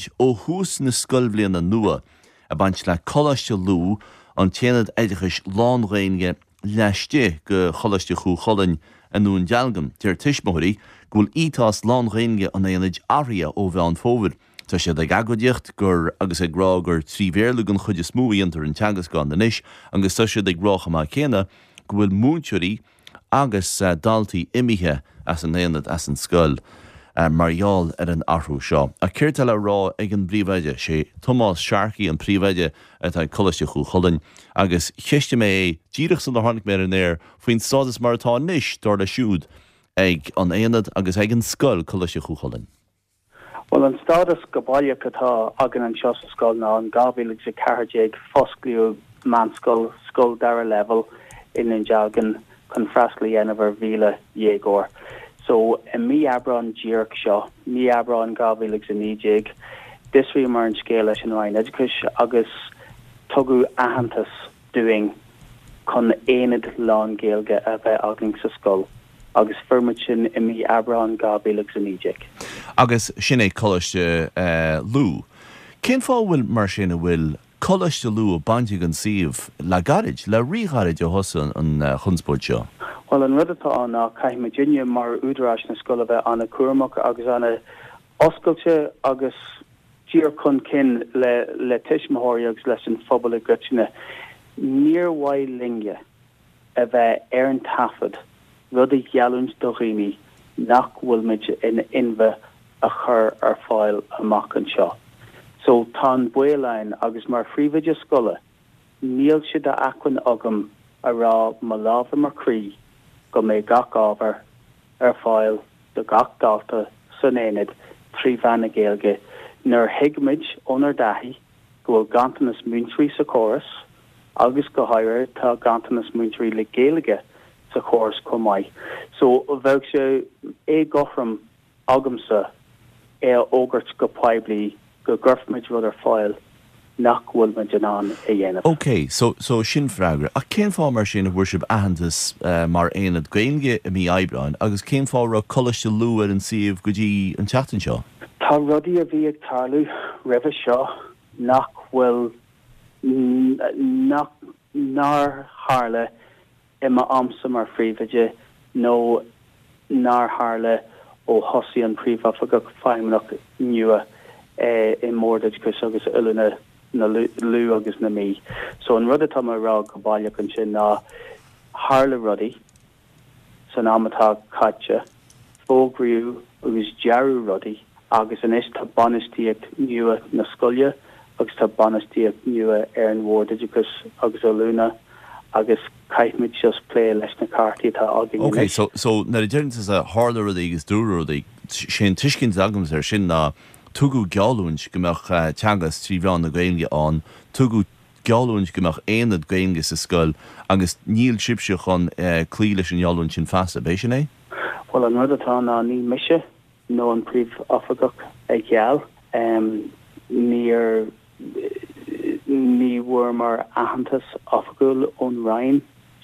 gairid ó thús na scoilbhliana nua ag baint le Coláiste Lú, an t-aonad oideachais lán-Ghaeilge laistigh de Choláiste Chú Chulainn i nDún Dealgan. Deir tuismitheoirí go bhfuil ethos lán-Ghaeilge an aonaid athraithe ó Mheán Fómhair. Tá siad ag agóidíocht gur agus ag rá gur trí Bhéarla den chuid is mó a dhéantar an teagasc ann anois agus tá siad ag rá chomh maith céanna go bhfuil múinteoirí agus daltaí imithe as an aonad, as an scoil, mar gheall ar an athrú seo. Ach céard tá le rá ag an bpríomhoide? Sé Tomás Sharkey an príomhoide atá ag Coláiste Chú Chulainn agus cheistigh mé é díreach sular tháinig mé ar an aer faoin stádas mar atá anois, dar leis siúd, ag an aonad agus ag an scoil, Coláiste Chú Chulainn. Bhuel, an stádas go baileach atá againn anseo sa scoil ná in 2014 fosclaíodh meánscoil, scoil dara leibhéal i nDún Dealgan chun freastal a dhéanamh ar 1,000 dhéagóir. So, i mí Aibreáin díreach seo, mí Aibreáin 2019, d'fhiosraíomar an scéal leis an Roinn Oideachais agus tugadh aitheantas dúinn chun aonad lán-Ghaeilge a bheith againn sa scoil agus fuair muid sin i mí Aibreáin 2019. Agus sin é Coláiste Lú. Cén fáth a bhfuil, mar sin, a bhfuil Coláiste Lú bainte den suíomh le gairid, le rí-ghairid ó thosaigh an chonspóid seo? Bhuel, an rud atá ann ná caithfidh muidinne mar údaráis na scoile bheith an-chúramach agus an-oscailte agus díreach chun cinn le tuismitheoirí agus leis an phobal i gcoitinne. Níor mhaith linne a bheith ar an taifead rud a gheallúint do dhaoine nach bhfuil muid in inmhe a chur ar fáil amach anseo. So tá an baol ann agus mar phríomhoide scoile níl sé d'acmhainn agam a rá mo lámh ar mo chroí go mbeidh gach ábhar ar fáil do gach dalta san aonad trí mheán na Gaeilge nuair a thuigimid ónár dtaithí go bhfuil ganntanas múinteoirí sa chóras agus go háirithe tá ganntanas múinteoirí le Gaeilge sa chóras chomh maith. So bheadh sé éagothrom agamsa é a fhógairt go poiblí go gcuirfimid rud ar fáil nach bhfuil muid in ann a dhéanamh. OK, so, so sin freagra. Ach cén fáth mar sin a bhfuair sibh aitheantas mar aonad Gaeilge i mí Aibreáin agus cén fáth a raibh Coláiste Lú ar an suíomh go dtí an tseachtain seo? Tá rudaí a bhí ag tarlú roimhe seo nach bhfuil, nach, nár tharla i m'amsa mar phríomhoide nó nár tharla ó thosaigh an Príomhoifigeach Feidhmeannach nua i mBord Oideachais agus Oiliúna na Lú agus na Mí. So an rud atá mé a rá go baileach ansin ná tharla rudaí san am atá caite, fógraíodh agus dearadh rudaí agus anois tá bainistíocht nua na scoile agus tá bainistíocht nua ar an Bhord Oideachais agus Oiliúna agus caithfimid just plé leis na cártaí atá againn Ok, anois. so, so nuair a deireann tusa tharla rudaí agus dúradh rudaí, sé an tuiscint atá agamsa air sin ná tugadh geallúint go mbeadh teagasc trí mheán na Gaeilge ann, tugadh geallúint go mbeadh aonad Gaeilge sa scoil agus níl sibhse chun cloí leis an ngeallúint sin feasta, ab é sin é? Bhuel, an rud atá ann ná ní mise nó an Príomhoifigeach a gheall. Níor, ní bhfuaireamar aitheantas oifigiúil ón Roinn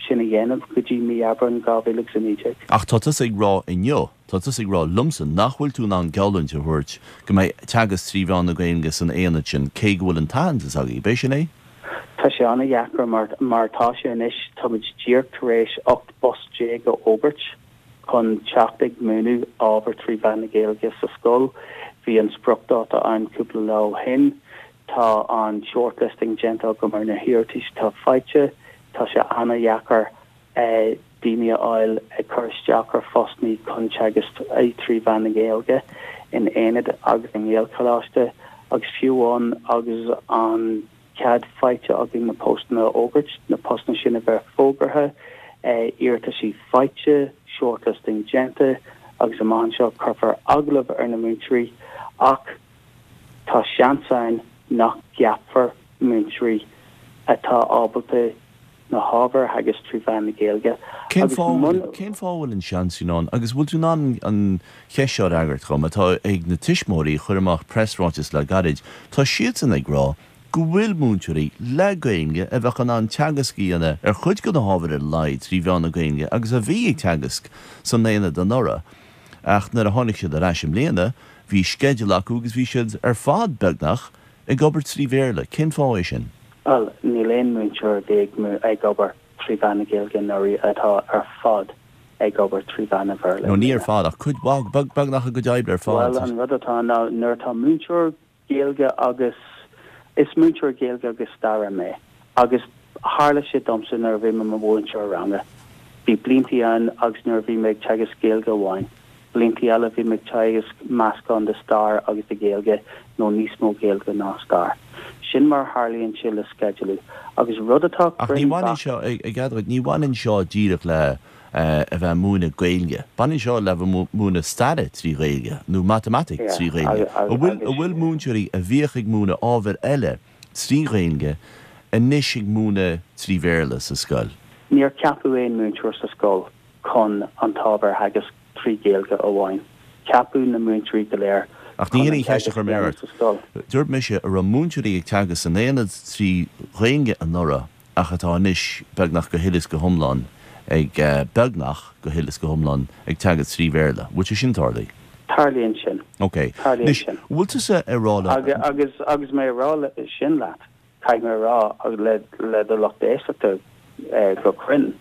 sin a dhéanamh go dtí mí Aibreáin 2019. Ach tá tusa ag rá inniu, tá tusa ag rá liomsa nach bhfuil tú in ann geallúint a thabhairt go mbeidh teagasc trí mheán na Gaeilge san aonad sin cé go bhfuil an t-aitheantas agaibh, ab é sin é? Tá sé an-dheacair mar, mar atá sé anois, táimid díreach tar éis 18 bpost a fhógairt. chun teacht ag múineadh ábhar trí mheán na Gaeilge sa scoil. Bhí an spriocdháta ann cúpla lá ó shin. Tá an shortlisting déanta agam ar na hiarratais atá faighte. Tá sé ana-dheacair daoine a fháil ag cur isteach ar phostannaí chun teagasc trí mheán na Gaeilge in aonad agus i nGaelcholáiste agus fiú amháin agus an cead faighte againn na postanna a fhógairt, na postanna sin a bheith fógartha, iarrataisí faighte, shortlisting déanta agus amach anseo cuirfear agallamh ar na múinteoirí ach tá seans ann nach gceapfar múinteoirí atá ábalta na hábhair a theagasc trí mheán na Gaeilge Cén agus fáth muna. Cén fáth a bhfuil an seans sin ann agus bhfuil tú in ann an cheist seo a fhreagairt dhom, atá ag na tuismitheoirí a chuir amach preasráiteas le gairid, tá siadsan ag rá go bhfuil múinteoirí le Gaeilge a bheadh in ann teagasc a dhéanamh ar chuid de na hábhair ar a laghad trí mheán na Gaeilge agus a bhí ag teagasc san aonad anuraidh ach nuair a tháinig siad ar ais i mbliana. bhí sceideal acu agus bhí siad ar fad, beagnach, ag obair trí Bhéarla. Cén fáth é sin? Bhuel, níl aon múinteoir a bhí ag obair trí mheán na Gaeilge anuraidh atá ar fad ag obair trí mheán an Bhéarla i mbliana. No, ní ar fad, ach cuid mhaith, beagnach a gcuid oibre ar fad. Bhuel, an rud atá ann ná nuair atá múinteoir Gaeilge agus, is múinteoir Gaeilge agus Staire mé agus tharla sé domsa nuair a bhí mé i mo mhúinteoir ranga. Bhí bliantaí ann agus nuair a bhí mé ag teagasc Gaeilge amháin, bliantaí eile bhí mé ag teagasc meascán de stair agus de Ghaeilge nó níos mó Gaeilge ná stair. Sin mar a tharlaíonn sé le sceidealú agus rud atá Ach ní bhaineann seo, i gcead dhuit, ní bhaineann seo díreach le a bheith ag múineadh Gaeilge. Baineann seo le bheith ag múineadh staire trí Ghaeilge nó matamaitic trí Ghaeilge. An bhfuil, an bhfuil múinteoirí a bhíodh ag múineadh ábhair eile trí Ghaeilge anois ag múineadh trí Bhéarla sa scoil? Níor ceapadh aon múinteoir sa scoil chun an t-ábhar a theagasc trí Ghaeilge amháin. Ceapadh na múinteoirí go léir Ach ní chun hin an an cheist a teagasc chuir a mé dhéanamh ort. sa scoil. Dúirt mise an raibh múinteoirí ag teagasc san aonad trí Ghaeilge anuraidh ach atá anois beagnach go huile is go hiomlán ag, beagnach go huile is go hiomlán ag teagasc trí Bhéarla. Bhfuil sé sin tarlaithe? Tarlaíonn sin. Ok. Tarlaíonn Anois, sin. bhfuil tusa ag rá liom. Agus, agus, agus mé ag rá sin leat, caithfidh mé a rá le, le do lucht éisteachta go cruinn,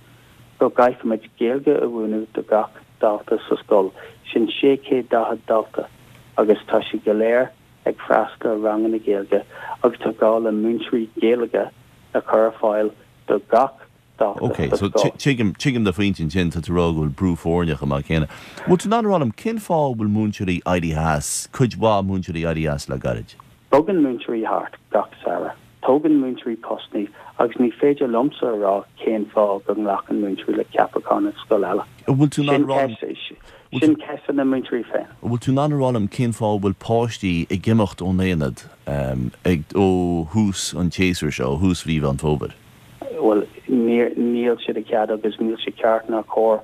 go gcaithfimid Gaeilge a mhúineadh do gach dalta sa scoil, sin 640 dalta, agus tá siad go léir ag freastal ar ranganna Gaeilge agus tá gá le múinteoirí Gaeilge a chur ar fáil do gach dalta Ok, sa so scoil. tuigim, tuigim do phointe ansin, tá tú ag rá go bhfuil brú foirne chomh maith céanna. Bhfuil tú in ann a rá liom cén fáth a bhfuil múinteoirí éirithe as, cuid mhaith múinteoirí éirithe as le gairid? Bogann múinteoirí thart gach samhradh. Tógann múinteoirí postanna agus ní féidir liomsa a rá cén fáth go nglacann múinteoirí le ceapachán i scoil eile. An bhfuil tú in ann a rá liom. Sin ceist do na múinteoirí féin. An bhfuil tú in ann a rá liom cén fáth a bhfuil páistí ag imeacht ón aonad ag ó thús an tséasúir seo, ó thús mhí Mheán Fómhair? Bhuel, níl sé de chead agus níl sé ceart ná cóir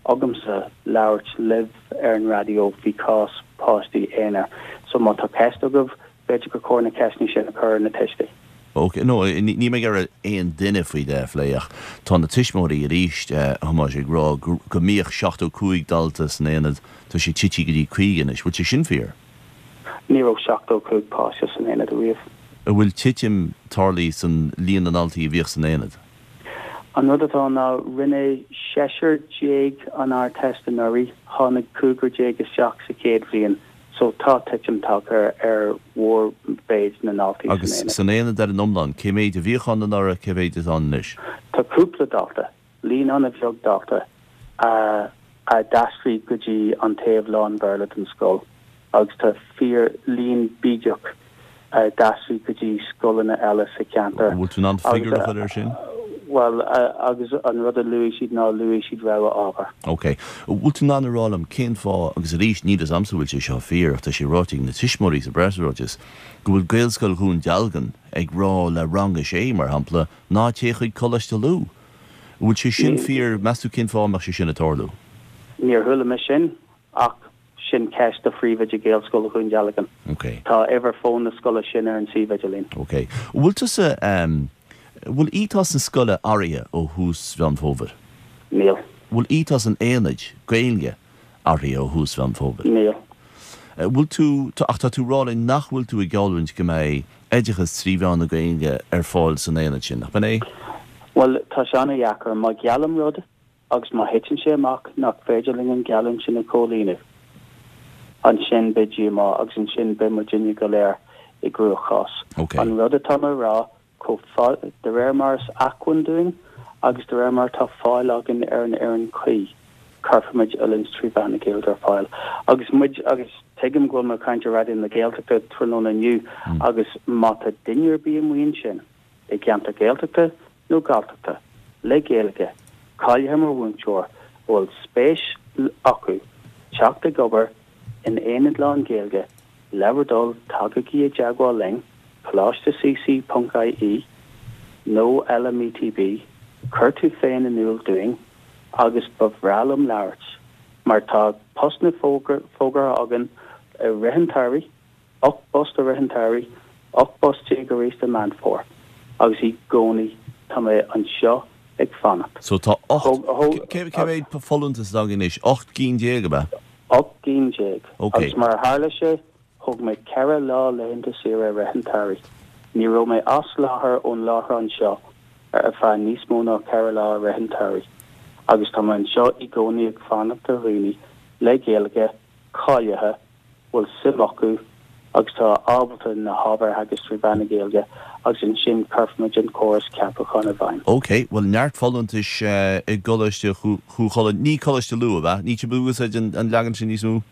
agamsa labhairt libh ar an raidió faoi chás páistí aonair. So má tá ceist agaibh, b'fhéidir gur chóir na ceisteanna sin a chur ar na tuistí. Ok, no, níl mé ag iarraidh aon duine faoi leith a phlé ach tá na tuismitheoirí arís, a Thomáis, ag rá go mbíodh 75 dalta san aonad, tá sé tite go dtí 50 anois. Bhfuil sé sin fíor? Ní raibh 75 páiste san aonad ariamh. An bhfuil titim tarlaithe san líon na ndaltaí a bhíodh san aonad? An rud atá ann ná rinne seisear déag an Ardteist anuraidh, tháinig cúigear déag isteach sa chéad bhliain so tá titim tagtha ar mhórmhéid na ndaltaí san Agus aonad. san aonad ar an iomlán, cé mhéid a bhíodh ann anuraidh, cé mhéid atá ann anois? Tá cúpla dalta, líon an-bheag dalta, a a d'aistrigh go dtí an taobh lán-Bhéarla den scoil agus tá fíor líon bídeach a d'aistrigh go dtí scoileanna eile sa cheantar. An bhfuil tú in ann figiúr a chur air sin? Bhuel, agus an rud a luaigh siad ná luaigh siad rogha ábhar. Ok. An bhfuil tú in ann a rá liom cén fáth, agus arís níl fhios a'msa an bhfuil sé seo fíor ach tá sé ráite ag na tuismitheoirí sa bpreasráiteas, go bhfuil Gaelscoil Dhún Dealgan ag rá le rang a sé, mar shampla, ná téigh chuig Coláiste Lú. An bhfuil sé sin fíor? Meas tú cén fáth a mbeadh sé sin ag tarlú? Níor chuala mé sin ach sin ceist do phríomhoide Ghaelscoil Dhún Dealgan. Ok. Tá uimhir fóin na scoile sin ar an suíomh idirlín. Ok. An bhfuil tusa, an bhfuil ethos na scoile athraithe ó thús Mheán Fómhair? Níl. An bhfuil ethos an aonaid Gaeilge athraithe ó thús Mheán Fómhair? Níl. Bhfuil tú, ach tá tú ag rá linn nach bhfuil tú ag geallúint go mbeidh oideachas trí mheán na Gaeilge ar fáil san aonad sin, nach b'in é? Bhuel, tá sé an-dheacair. Má gheallaim rud agus má thiteann sé amach nach féidir linn an gheallúint sin a chomhlíonadh, ansin beidh díomá agus ansin beidh muidinne go léir i gcruachás. Ok. An rud atá mé a rá chomh fada, de réir mar is acmhainn dúinn agus de réir mar atá fáil againn ar an fhoireann cuí, cuirfimid oiliúint trí mheán na Gaeilge ar fáil. Agus muid, agus tuigim go bhfuil mé ag caint ar Raidió na Gaeltachta tráthnóna inniu, agus má tá duine ar bith amuigh ansin i gceantar Gaeltachta nó Galltachta le Gaeilge, cáilithe mar mhúinteoir, a bhfuil spéis acu teacht ag obair in aonad lán-Ghaeilge, Le bhur dtoil, tagaigí i dteagmháil linn, Coláiste CC ponc IE nó LMETB, cuir tú féin in iúl dúinn agus ba bhreá liom labhairt, mar tá postanna fógartha againn i rith an tsamhraidh, 18 bpost i rith an tsamhraidh, 18 bpost arís i Meán Fómhair, agus i gcónaí tá mé anseo ag fanacht. So tá 8, cé mhéad folúntas atá againn anois? 18 gcinn, ab ea? 18 gcinn. Agus mar a tharla sé, thóg mé 4 lá laethanta saoire i rith an tsamhraidh. Ní raibh mé as láthair ón láithreán seo ar feadh níos mó ná 4 lá i rith an tsamhraidh. Agus tá mé anseo i gcónaí ag fanacht ar dhaoine le Gaeilge, cáilithe, bhfuil suim acu agus tá ábalta na hábhair a theagasc trí mheán na Gaeilge agus ansin cuirfimid an córas ceapacháin i bhfeidhm. Ok, bhuel neart folúntais i gColáiste Chú Chulainn, ní Coláiste Lú, ab ea? Níl sibh ag úsáid an leagan sin níos mó?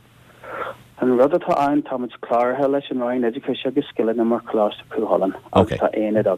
An rud atá ann, táimid cláraithe leis an Roinn Oideachais agus Scileanna mar Choláiste Chú Chulainn agus tá aonad againn.